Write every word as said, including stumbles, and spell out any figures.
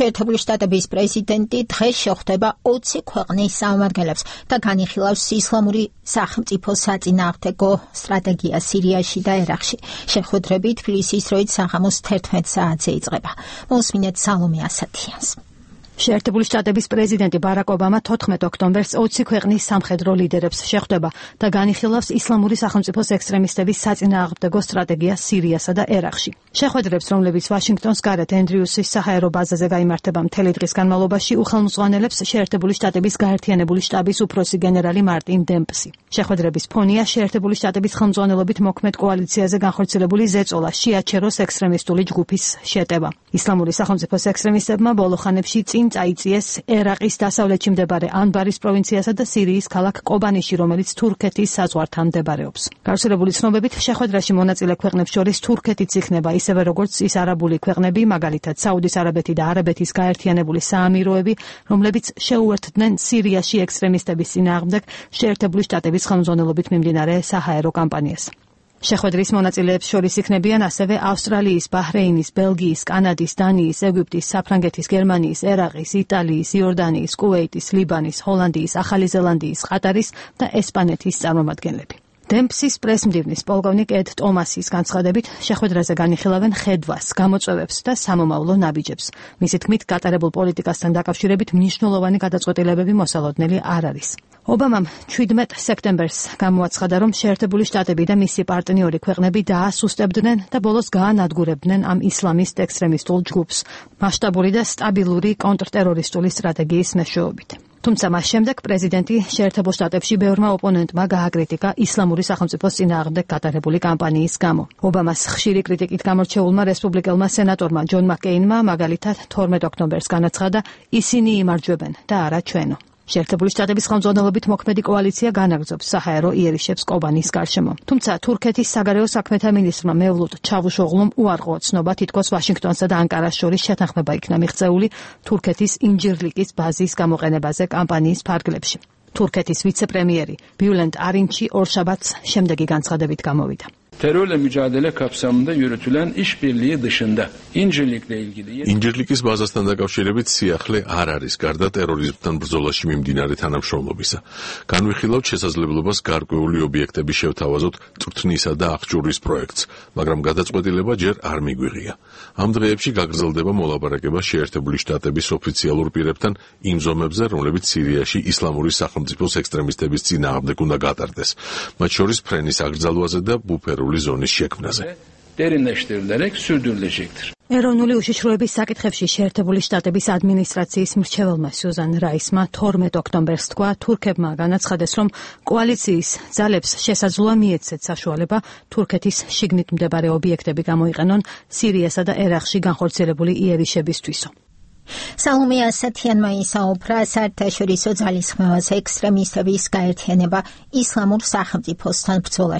შეერთებული შტატების პრეზიდენტი დღეს შეხვდება ოცი ქვეყნის წარმომადგენლებს და განიხილავს ისლამური სახელმწიფოს საწინააღმდეგო სტრატეგიას სირიაში და ერაყში. შეხვედრები თბილისის დროით საღამოს თერთმეტ საათზე იწყება. მოსმინეთ სალომე ასათიანს. შეერთებული შტატების პრეზიდენტი ბარაკ ობამა თოთხმეტ ოქტომბერს ოცი ქვეყნის სამხედრო ლიდერებს შეხვდება და განიხილავს ისლამური სახელმწიფოს ექსტრემისტების საწინააღმდეგო სტრატეგიას სირიასა და ერაყში. შეხვედრებს, რომლებიც ვაშინგტონის გარეთ ენდრიუსის საჰაერო ბაზაზე გაიმართება მთელი დღის განმავლობაში, უხელმძღვანელებს შეერთებული შტატების გაერთიანებული შტაბის უფროსი გენერალი მარტინ დემპსი. შეხვედრების ფონია შეერთებული შტატების ხელმძღვანელობით მოქმედ კოალიციაზე განხორციელებული ზეწოლა შიაჩეროს ექსტრემისტული ჯგუფის შეტევა. ისლამური სახელმწიფოს ექსტრემისტებმა ბოლო ხანებში წინ წაიწიეს ერაყის დასავლეთში მდებარე ანბარის პროვინციასა და სირიის ქალაქ კობანიში, რომელიც თურქეთის საზღვართან მდებარეობს. გავრცელებული ცნობებით, შეხვედრაში მონაწილე ქვეყნებს შორის თურქეთიც იქნება, ისევე როგორც ის არაბული ქვეყნები, მაგალითად საუდის არაბეთი და არაბეთის გაერთიანებული საამიროები, რომლებიც შეუერთდნენ სირიაში ექსტრემისტების წინააღმდეგ შეერთებული შტატების ხელმძღვანელობით მიმდინარე საჰაერო კამპანიას. შეხვედრის მონაწილეებს შორის იქნებიან ასევე ავსტრალიის, ბაჰრეინის, ბელგიის, კანადის, დანიის, ეგვიპტის, საფრანგეთის, გერმანიის, ერაყის, იტალიის, იორდანიის, კუვეიტის, ლიბანის, ჰოლანდიის, ახალი ზელანდიის, ყატარის და ესპანეთის წარმომადგენლები. დემპსის პრესმდივნის პოლკოვნიკ ედ ტომასის განცხადებით, შეხვედრაზე განიხილავენ ხედვას, გამოწვევებს და სამომავლო ნაბიჯებს. მისი თქმით, გატარებულ პოლიტიკასთან დაკავშირებით მნიშვნელოვანი გადაწყვეტილებები მოსალოდნელი არ არის. ობამამ შვიდმეტ სექტემბერს გამოაცხადა, რომ შეერთებული შტატები და მისი პარტნიორი ქვეყნები დაასუსტებდნენ და ბოლოს გაანადგურებდნენ ამ ისლამისტ ექსტრემისტულ ჯგუფს მასშტაბური და სტაბილური კონტრტერორისტული სტრატეგიის მეშვეობით. თუმცა მას შემდეგ პრეზიდენტი შეერთებულ შტატებში ბევრმა ოპონენტმა გააკრიტიკა ისლამური სახელმწიფოს წინააღმდეგ გატარებული კამპანიის გამო. ობამას ხშირი კრიტიკით გამორჩეულმა რესპუბლიკელმა სენატორმა ჯონ მაკეინმა მაგალითად თორმეტ ოქტომბერს განაცხადა, ისინი იმარჯვებენ და არა ჩვენო. შეერთებული შტატების ხელმძღვანელობით მოქმედი კოალიცია განაგრძობს საჰაერო იერიშებს კობანის გარშემო. თუმცა თურქეთის საგარეო საქმეთა მინისტრმა მევლუდ ჩავუშოღლუმ უარყო ცნობა, თითქოს ვაშინგტონსა და ანკარას შორის შეთანხმება იქნა მიღწეული თურქეთის ინჯირლიკის ბაზის გამოყენებაზე კამპანიის ფარგლებში. თურქეთის ვიცე-პრემიერი Bülent Arınç ორშაბათს შემდეგი განცხადებით გამოვიდა. Terörle mücadele kapsamında yürütülen işbirliği dışında İncirlik'le ilgili İncirlik'is bazasından დაკავშირებით სიახლე არ არის გარდა ტერორიზმთან ბრძოლაში მიმდინარე თანამშრომლობისა. განვიხილავთ შესაძლებლობას გარკვეული ობიექტების შევთავაზოთ წვრთნისა და აღჭურვის პროექტს, მაგრამ გადაწყვეტილება ჯერ არ მიგვიღია. ამ დღეებში გაგრძელდება მოლაპარაკება შეერთებული შტატების ოფიციალურ პირებთან იმ ზომებზე, რომლებიც სირიაში ისლამური სახელმწიფოს ექსტრემისტების წინააღმდეგ უნდა გატარდეს, მათ შორის ფრენის აკრძალვაზე და ბუფერული ზონის შექმნაზე. derinleştirilerek sürdürülecektir. ეროვნული უშიშროების საკითხებში შეერთებული შტატების ადმინისტრაციის მრჩეველმა სიუზან რაისმა თორმეტ ოქტომბერს თქვა, თურქებმა განაცხადეს, რომ კოალიციის ძალებს შესაძლოა მიეცეთ საშუალება თურქეთის შიგნით მდებარე ობიექტები გამოიყენონ სირიასა და ერაყში განხორციელებული იერიშებისთვისო. სალომე ასათიანმა ისაუბრა საერთაშორისო ძალისხმევაზე ექსტრემისტების გაერთიანება ისლამურ სახელმწიფოსთან ბრძოლაში.